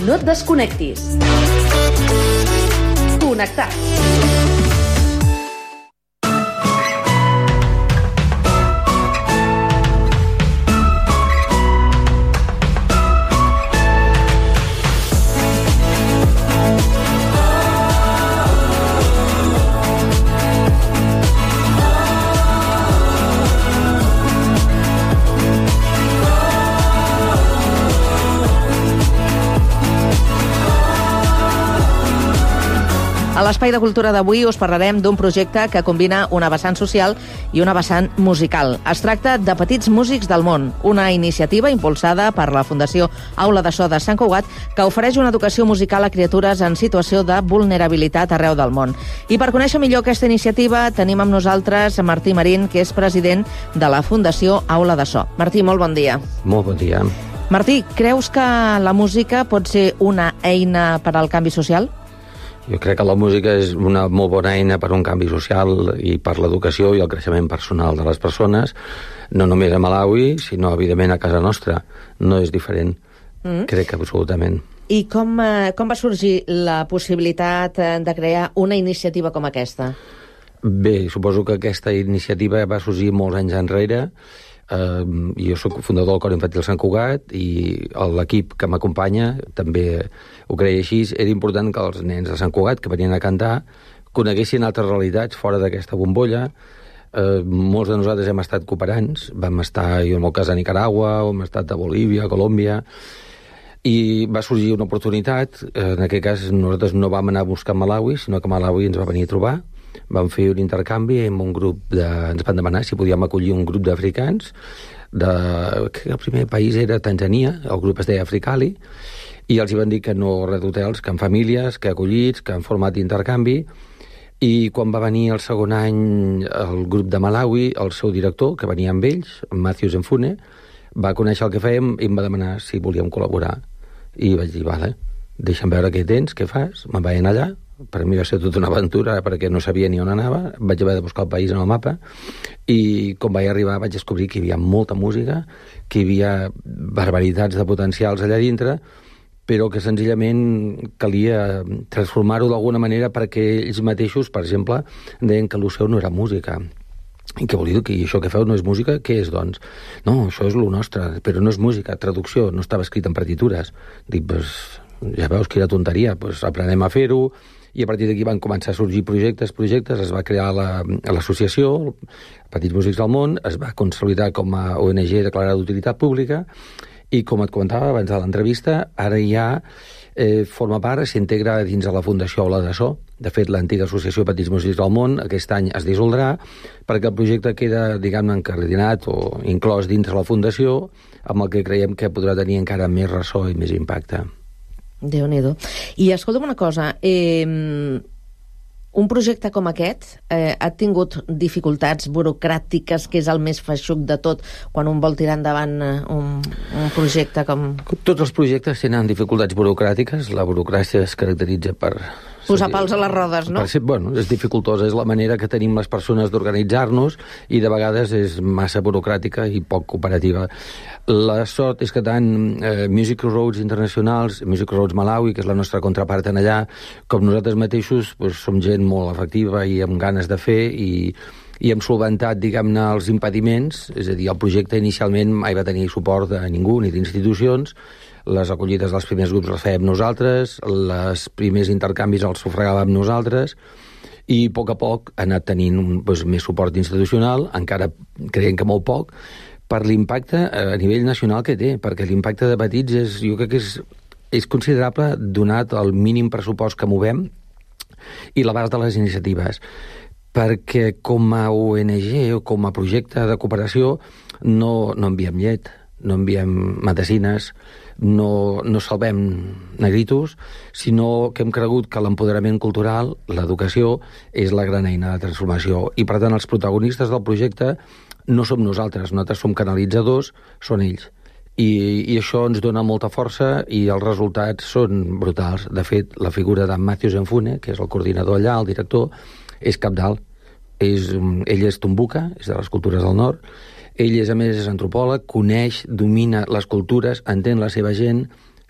No et desconnectis. Connectats. A l'Espai de Cultura d'avui us parlarem d'un projecte que combina una vessant social i una vessant musical. Es tracta de Petits Músics del Món, una iniciativa impulsada per la Fundació Aula de So de Sant Cugat que ofereix una educació musical a criatures en situació de vulnerabilitat arreu del món. I per conèixer millor aquesta iniciativa tenim amb nosaltres Martí Marín, que és president de la Fundació Aula de So. Martí, molt bon dia. Molt bon dia. Martí, creus que la música pot ser una eina per al canvi social? Jo crec que la música és una molt bona eina per un canvi social i per l'educació i el creixement personal de les persones, no només a Malawi, sinó, evidentment, a casa nostra. No és diferent, mm. crec que absolutament. I com, eh, com va sorgir la possibilitat de crear una iniciativa com aquesta? Bé, suposo que aquesta iniciativa va sorgir molts anys enrere. Uh, jo soc fundador del Cor Infantil Sant Cugat i l'equip que m'acompanya també ho creia així. Era important que els nens de Sant Cugat que venien a cantar coneguessin altres realitats fora d'aquesta bombolla. Uh, molts de nosaltres hem estat cooperants, vam estar, jo en el cas de Nicaragua, hem estat a Bolívia, a Colòmbia, i va sorgir una oportunitat. En aquest cas nosaltres no vam anar a buscar Malawi, sinó que Malawi ens va venir a trobar. Vam fer un intercanvi amb un grup de... Ens van demanar si podíem acollir un grup d'africans. De... El primer país era Tanzania, el grup es deia Africali, i els hi van dir que no res d'hotels, que en famílies, que acollits, que en format d'intercanvi. I quan va venir el segon any el grup de Malawi, el seu director, que venia amb ells, Matthews Mfune, va conèixer el que fèiem i em va demanar si volíem col·laborar. I vaig dir, vale, deixa'm veure què tens, què fas. Me'n vaig anar allà. Per mi va ser tota una aventura perquè no sabia ni on anava. Vaig haver de buscar el país en el mapa i quan vaig arribar vaig descobrir que hi havia molta música, que hi havia barbaritats de potencials allà dintre, però que senzillament calia transformar-ho d'alguna manera perquè ells mateixos, per exemple, deien que l'U C E U no era música. I què vol dir? Que això que feu no és música? Què és, doncs? No, això és lo nostre, però no és música, traducció, no estava escrit en partitures. Dic, pues, ja veus quina tonteria, pues aprenem a fer-ho. I a partir d'aquí van començar a sorgir projectes, projectes, es va crear l'associació, la, Petits Músics del Món, es va consolidar com a O N G declarada d'utilitat pública, i com et comentava abans de l'entrevista, ara ja eh, forma part, s'integra dins de la Fundació Aula de So. De fet, l'antiga associació Petits Músics del Món aquest any es dissoldrà perquè el projecte queda, diguem-ne, encardinat o inclòs dins de la Fundació, amb el que creiem que podrà tenir encara més ressò i més impacte. Déu-n'hi-do. I escolta'm una cosa, eh, un projecte com aquest eh, ha tingut dificultats burocràtiques, que és el més feixuc de tot, quan un vol tirar endavant un, un projecte com... Tots els projectes tenen dificultats burocràtiques. La burocràcia es caracteritza per... posar pals a les rodes, no? Per ser, bueno, és dificultosa, és la manera que tenim les persones d'organitzar-nos i de vegades és massa burocràtica i poc cooperativa. La sort és que tant eh, Music Roads Internacionals, Music Roads Malawi, que és la nostra contrapart en allà, com nosaltres mateixos, pues, som gent molt efectiva i amb ganes de fer i, i hem solventat, diguem-ne, els impediments. És a dir, el projecte inicialment mai va tenir suport de ningú ni d'institucions. Les acollides dels primers grups les fèiem nosaltres, els primers intercanvis els sufragàvem nosaltres, i a poc a poc ha anat tenint doncs, més suport institucional, encara creiem que molt poc, per l'impacte a nivell nacional que té, perquè l'impacte de Petits és, jo crec que és, és considerable donat el mínim pressupost que movem i l'abast de les iniciatives, perquè com a O N G o com a projecte de cooperació no, no enviem llet, no enviem medicines, no, no salvem negritos, sinó que hem cregut que l'empoderament cultural, l'educació, és la gran eina de transformació. I, per tant, els protagonistes del projecte no som nosaltres, nosaltres som canalitzadors, són ells. I, i això ens dona molta força i els resultats són brutals. De fet, la figura de Matthews Mfune, que és el coordinador allà, el director, és cabdal. És, ell és tumbuka, és de les cultures del nord. Ell, és, a més, és antropòleg, coneix, domina les cultures, entén la seva gent,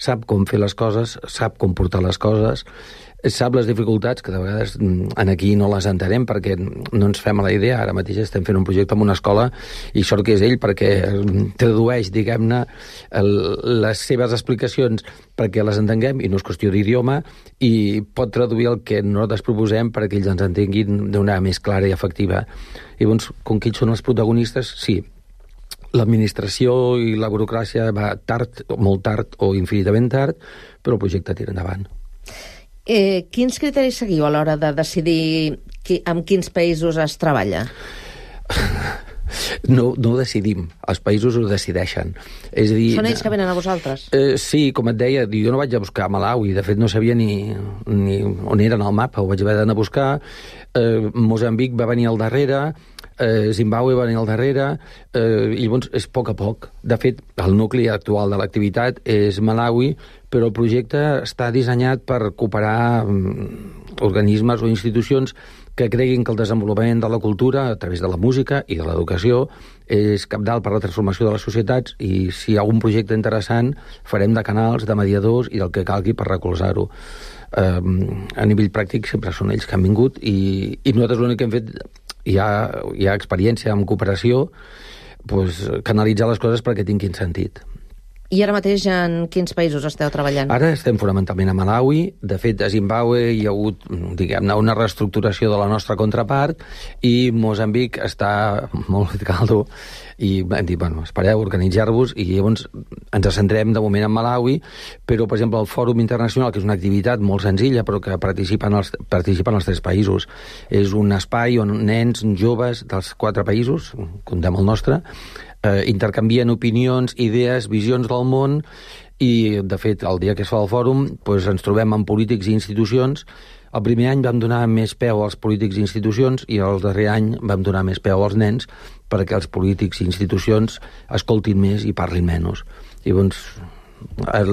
sap com fer les coses, sap com portar les coses, sap les dificultats, que de vegades en aquí no les entenem perquè no ens fem a la idea. Ara mateix estem fent un projecte en una escola i sort que és ell perquè tradueix, diguem-ne, les seves explicacions perquè les entenguem, i no és qüestió d'idioma, i pot traduir el que nosaltres proposem perquè ells ens entenguin d'una més clara i efectiva. I llavors, com que ells són els protagonistes, sí, l'administració i la burocràcia va tard, molt tard o infinitament tard, però el projecte tira endavant. Eh, quins criteris seguiu a l'hora de decidir qui, amb quins països es treballa? No, no ho decidim, els països ho decideixen. És a dir, són ells que venen a vosaltres? Eh, sí, com et deia, jo no vaig a buscar Malawi, de fet no sabia ni, ni on era en el mapa, ho vaig haver d'anar a buscar. Eh, Moçambic va venir al darrere, eh, Zimbàbue va venir al darrere, eh, i llavors és a poc a poc. De fet, el nucli actual de l'activitat és Malawi, però el projecte està dissenyat per cooperar amb organismes o institucions que creguin que el desenvolupament de la cultura a través de la música i de l'educació és cabdal per la transformació de les societats, i si hi ha algun projecte interessant farem de canals, de mediadors i del que calgui per recolzar-ho. Um, a nivell pràctic sempre són ells que han vingut, i, i nosaltres l'únic que hem fet, hi ha, hi ha experiència en cooperació, pues, canalitzar les coses perquè tinguin sentit. I ara mateix en quins països esteu treballant? Ara estem fonamentalment a Malawi. De fet, a Zimbàbue hi ha hagut, diguem-ne, una reestructuració de la nostra contrapart, i Moçambic està molt caldo, i hem dit, bueno, espereu, organitzar-vos, i llavors ens centrem de moment en Malawi, però, per exemple, el Fòrum Internacional, que és una activitat molt senzilla, però que participen els, participen els tres països. És un espai on nens joves dels quatre països, comptem el nostre, eh, intercanvien opinions, idees, visions del món, i, de fet, el dia que es fa el fòrum, doncs, ens trobem amb polítics i institucions. El primer any vam donar més peu als polítics i institucions, i el darrer any vam donar més peu als nens, perquè els polítics i institucions escoltin més i parlin menys. I llavors, el,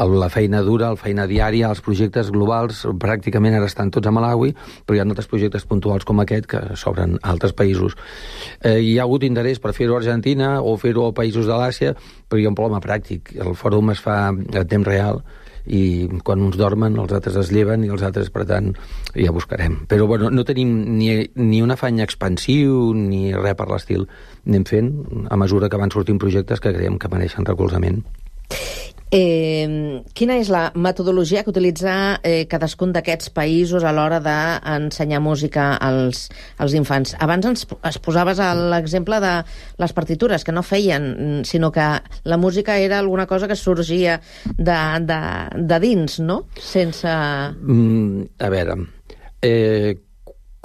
el, la feina dura, la feina diària, els projectes globals, pràcticament ara estan tots a Malawi, però hi ha altres projectes puntuals com aquest que s'obren a altres països. Eh, hi ha hagut interès per fer-ho a Argentina o fer-ho a països de l'Àsia, però hi ha un problema pràctic. El fòrum es fa a temps real, i quan uns dormen els altres es lleven, i els altres, per tant, ja buscarem. Però bueno, no tenim ni, ni un afany expansiu ni res per l'estil. Anem fent a mesura que van sortint projectes que creiem que mereixen recolzament. Eh, quina és la metodologia que utilitza eh, cadascun d'aquests països a l'hora d'ensenyar música als, als infants? Abans ens es posaves l'exemple de les partitures, que no feien, sinó que la música era alguna cosa que sorgia de, de, de dins, no? Sense... Mm, a veure... Eh,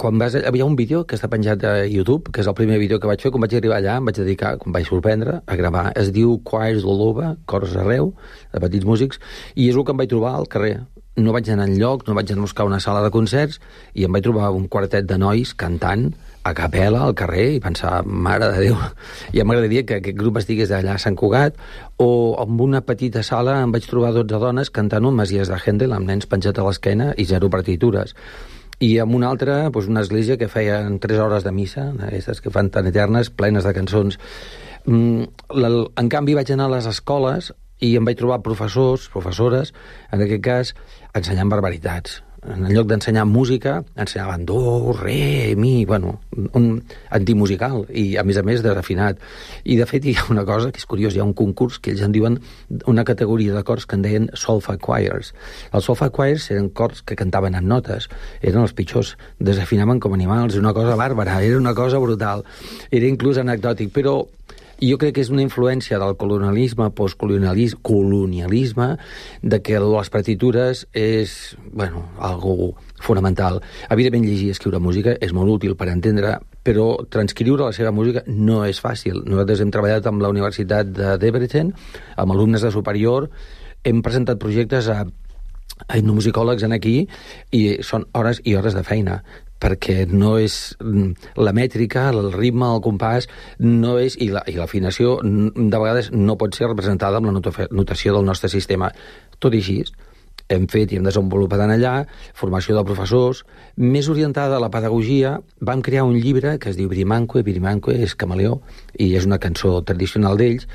quan vas, hi ha un vídeo que està penjat a YouTube, que és el primer vídeo que vaig fer. Quan vaig arribar allà, em vaig dedicar, quan vaig sorprendre, a gravar. Es diu Choirs all over, cors arreu, de petits músics, i és el que em vaig trobar al carrer. No vaig anar enlloc, no vaig anar a buscar una sala de concerts, i em vaig trobar un quartet de nois cantant a capella al carrer, i pensar, mare de Déu, ja m'agradaria que aquest grup estigués allà a Sant Cugat, o en una petita sala em vaig trobar dotze dones cantant un Messies de Händel amb nens penjat a l'esquena i zero partitures. I amb una altra, doncs, una església que feien tres hores de missa, aquestes que fan tan eternes, plenes de cançons. En canvi, vaig anar a les escoles i em vaig trobar professors, professores, en aquest cas, ensenyant barbaritats. En lloc d'ensenyar música, ensenyaven do, re, mi, bueno, un antimusical, i a més a més desafinat. I de fet hi ha una cosa que és curiós, hi ha un concurs que ells en diuen una categoria de cors que en deien solfa choirs. Els solfa choirs eren cors que cantaven amb notes, eren els pitjors, desafinaven com animals, una cosa bàrbara, era una cosa brutal, era inclús anecdòtic, però jo crec que és una influència del colonialisme, postcolonialisme, colonialisme, de que les partitures és, bueno, algo fonamental. Evidentment, llegir i escriure música és molt útil per entendre, però transcriure la seva música no és fàcil. Nosaltres hem treballat amb la Universitat de Debrecen, amb alumnes de superior, hem presentat projectes a a etnomusicòlegs en aquí, i són hores i hores de feina, perquè no és la mètrica, el ritme, el compàs, no és, i l'afinació de vegades no pot ser representada amb la notació del nostre sistema. Tot i així, hem fet i hem desenvolupat en allà formació de professors, més orientada a la pedagogia. Vam crear un llibre que es diu Birimanque, Birimanque és camaleó, i és una cançó tradicional d'ells,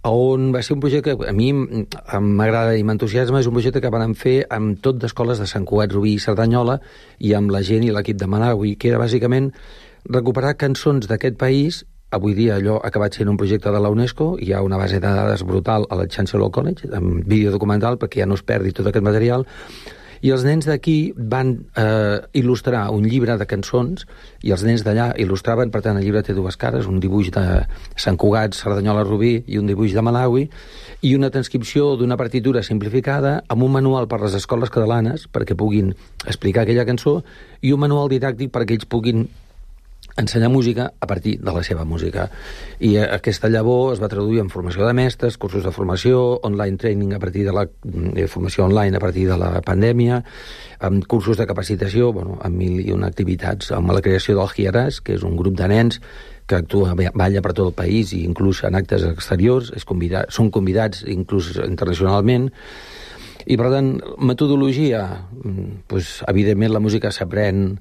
on va ser un projecte que a mi m'agrada i m'entusiasma. És un projecte que vam fer amb tot d'escoles de Sant Cugat, Rubí i Cerdanyola i amb la gent i l'equip de Malawi, que era bàsicament recuperar cançons d'aquest país. Avui dia allò ha acabat sent un projecte de la UNESCO, hi ha una base de dades brutal a la Chancellor College, amb vídeo documental, perquè ja no es perdi tot aquest material. I els nens d'aquí van eh, il·lustrar un llibre de cançons i els nens d'allà il·lustraven, per tant el llibre té dues cares, un dibuix de Sant Cugat, Cerdanyola, Rubí i un dibuix de Malawi, i una transcripció d'una partitura simplificada amb un manual per a les escoles catalanes perquè puguin explicar aquella cançó i un manual didàctic perquè ells puguin ensenyar música a partir de la seva música. I aquesta llavor es va traduir en formació de mestres, cursos de formació, online training a partir de la eh, formació online a partir de la pandèmia, amb cursos de capacitació, bueno, amb mil i una activitats, amb la creació del Hieras, que és un grup de nens que actua, balla per tot el país i inclús en actes exteriors, és convidat, són convidats inclús internacionalment. I, per tant, metodologia, doncs, evidentment la música s'aprèn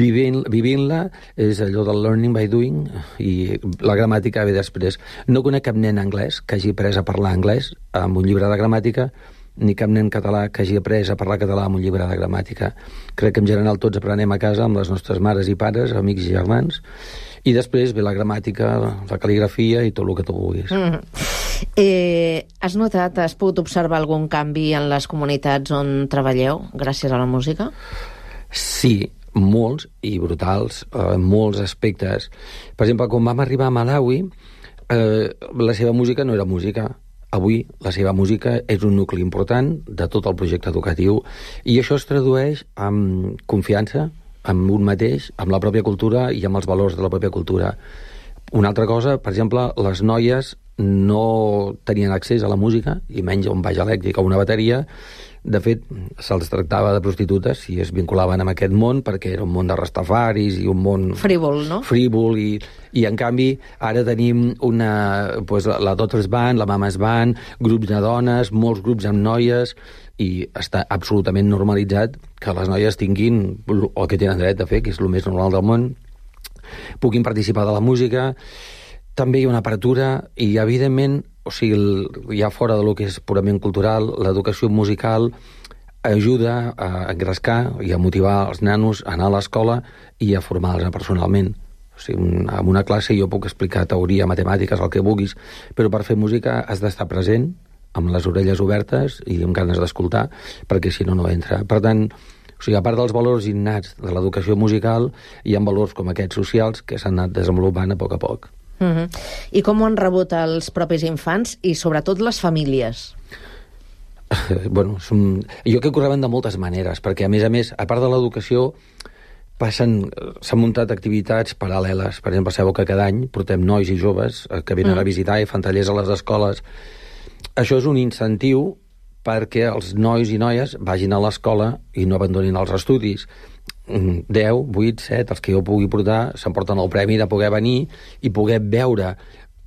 vivint, vivint-la, és allò del learning by doing, i la gramàtica ve després. No conec cap nen anglès que hagi après a parlar anglès amb un llibre de gramàtica, ni cap nen català que hagi après a parlar català amb un llibre de gramàtica. Crec que en general tots aprenem a casa amb les nostres mares i pares, amics i germans, i després ve la gramàtica, la cal·ligrafia i tot el que tu vulguis. Mm. Eh, has notat, has pogut observar algun canvi en les comunitats on treballeu gràcies a la música? Sí, molts i brutals, en eh, molts aspectes. Per exemple, quan vam arribar a Malawi, eh, la seva música no era música. Avui la seva música és un nucli important de tot el projecte educatiu i això es tradueix amb confiança, amb un mateix, amb la pròpia cultura i amb els valors de la pròpia cultura. Una altra cosa, per exemple, les noies no tenien accés a la música, i menys a un baix elèctric o una bateria. De fet, se'ls tractava de prostitutes si es vinculaven amb aquest món, perquè era un món de rastafaris i un món... Frívol, no? Frívol, i, i en canvi ara tenim una, pues, la Daughters Band, la Mamas Band, grups de dones, molts grups amb noies, i està absolutament normalitzat que les noies tinguin el que tenen dret a fer, que és el més normal del món, puguin participar de la música. També hi ha una apertura i, evidentment, o sigui, ja fora de lo que és purament cultural, l'educació musical ajuda a engrescar i a motivar els nanos a anar a l'escola i a formar-los personalment. O sigui, en una classe jo puc explicar teoria, matemàtiques, el que vulguis, però per fer música has d'estar present, amb les orelles obertes i amb ganes d'escoltar, perquè si no, no entra. Per tant, o sigui, a part dels valors innats de l'educació musical, hi ha valors com aquests socials que s'han anat desenvolupant a poc a poc. Uh-huh. I com ho han rebut els propis infants i sobretot les famílies? Bueno, som... jo crec que ho reben de moltes maneres, perquè a més a més, a part de l'educació, passen, s'han muntat activitats paral·leles. Per exemple, sabeu que cada any portem nois i joves que venen mm. a visitar i fan tallers a les escoles. Això és un incentiu perquè els nois i noies vagin a l'escola i no abandonin els estudis. deu, vuit, set, els que jo pugui portar, s'emporten el premi de poder venir i poder veure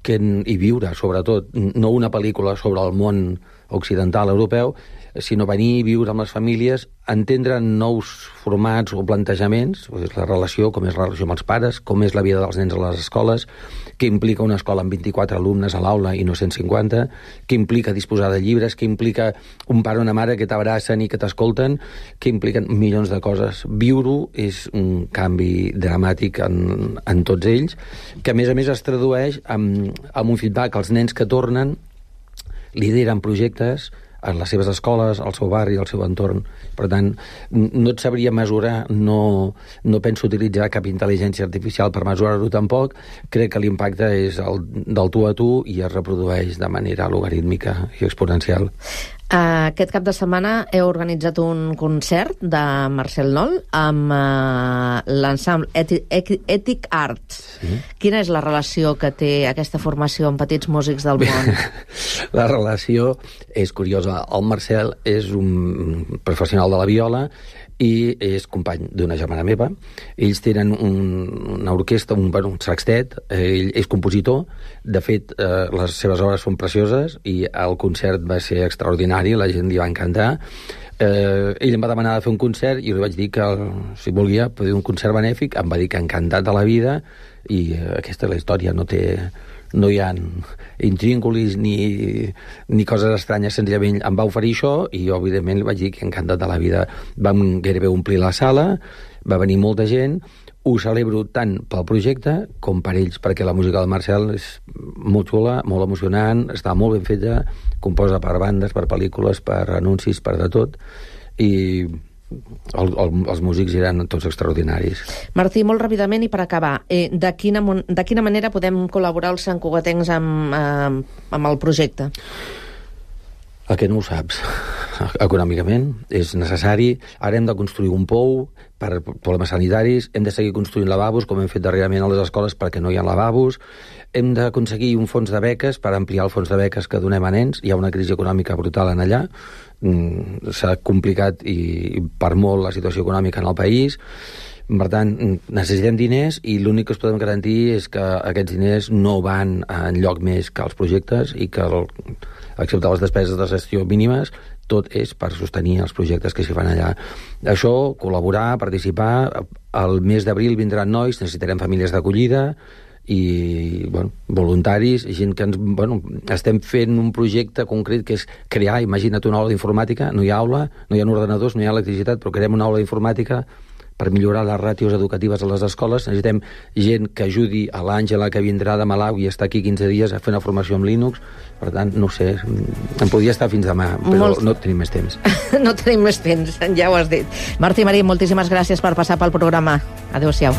que, i viure, sobretot, no una pel·lícula sobre el món occidental europeu, sinó venir i viure amb les famílies, entendre nous formats o plantejaments, la relació, com és la relació amb els pares, com és la vida dels nens a les escoles, què implica una escola amb vint-i-quatre alumnes a l'aula i no cent cinquanta, què implica disposar de llibres, què implica un pare o una mare que t'abracen i que t'escolten, què impliquen milions de coses. Viure-ho és un canvi dramàtic en, en tots ells, que a més a més es tradueix amb, amb un feedback. Els nens que tornen lideren projectes en les seves escoles, al seu barri, al seu entorn. Per tant, no et sabria mesurar, no, no penso utilitzar cap intel·ligència artificial per mesurar-ho tampoc. Crec que l'impacte és el, del tu a tu i es reprodueix de manera logarítmica i exponencial. Aquest cap de setmana heu organitzat un concert de Marcel Noll amb uh, l'ensemble Ethic Art. Sí. Quina és la relació que té aquesta formació amb petits músics del món? La relació és curiosa. El Marcel és un professional de la viola i és company d'una germana meva. Ells tenen un, una orquestra, un, un sextet, ell és compositor. De fet, eh, les seves obres són precioses i el concert va ser extraordinari, la gent li va encantar. Eh, ell em va demanar de fer un concert i li vaig dir que, si volia, poder un concert benèfic. Em va dir que encantat de la vida i eh, aquesta és la història, no té, no hi ha intrínculis ni, ni coses estranyes, senzillament em va oferir això i jo, evidentment, li vaig dir que encantat de la vida. Vam gairebé omplir la sala, va venir molta gent, ho celebro tant pel projecte com per ells, perquè la música del Marcel és molt xula, molt emocionant, està molt ben feta, composa per bandes, per pel·lícules, per anuncis, per de tot, i el, el, els músics eren tots extraordinaris. Martí, molt ràpidament i per acabar, eh, de, quina, de quina manera podem col·laborar els santcugatencs amb, eh, amb el projecte? El que no ho saps. Econòmicament és necessari. Ara hem de construir un pou per problemes sanitaris, hem de seguir construint lavabos, com hem fet darrerament a les escoles perquè no hi ha lavabos, hem d'aconseguir un fons de beques per ampliar el fons de beques que donem a nens. Hi ha una crisi econòmica brutal en allà, s'ha complicat i per molt la situació econòmica en el país. Per tant, necessitem diners i l'únic que us podem garantir és que aquests diners no van enlloc més que els projectes i que, el, excepte les despeses de gestió mínimes, tot és per sostenir els projectes que s'hi fan allà. Això, col·laborar, participar. El mes d'abril vindran nois, necessitarem famílies d'acollida i bueno, voluntaris, gent que ens, bueno, estem fent un projecte concret que és crear, imagina't una aula d'informàtica, no hi ha aula, no hi ha ordinadors, no hi ha electricitat, però creem una aula d'informàtica per millorar les ràtios educatives a les escoles. Necessitem gent que ajudi a l'Àngela, que vindrà de Malawi i està aquí quinze dies a fer una formació amb Linux. Per tant, no sé, em podria estar fins demà, però Molt... no tenim més temps. No tenim més temps, ja ho has dit. Martí Marín, moltíssimes gràcies per passar pel programa. Adéu-siau.